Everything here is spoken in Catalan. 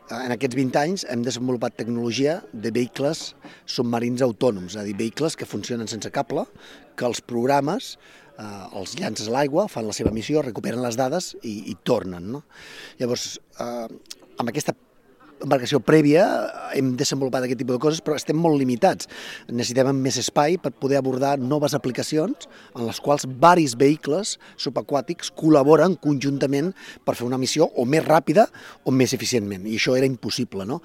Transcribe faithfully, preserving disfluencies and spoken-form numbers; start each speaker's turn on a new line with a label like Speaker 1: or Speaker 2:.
Speaker 1: en aquests vint anys hem desenvolupat tecnologia de vehicles submarins autònoms, és a dir, vehicles que funcionen sense cable, que els programes eh, els llances a l'aigua, fan la seva missió, recuperen les dades i, i tornen. No? Llavors, eh, amb aquesta embarcació prèvia hem desenvolupat aquest tipus de coses, però estem molt limitats. Necessitem més espai per poder abordar noves aplicacions en les quals varis vehicles subaquàtics col·laboren conjuntament per fer una missió o més ràpida o més eficientment, i això era impossible, no?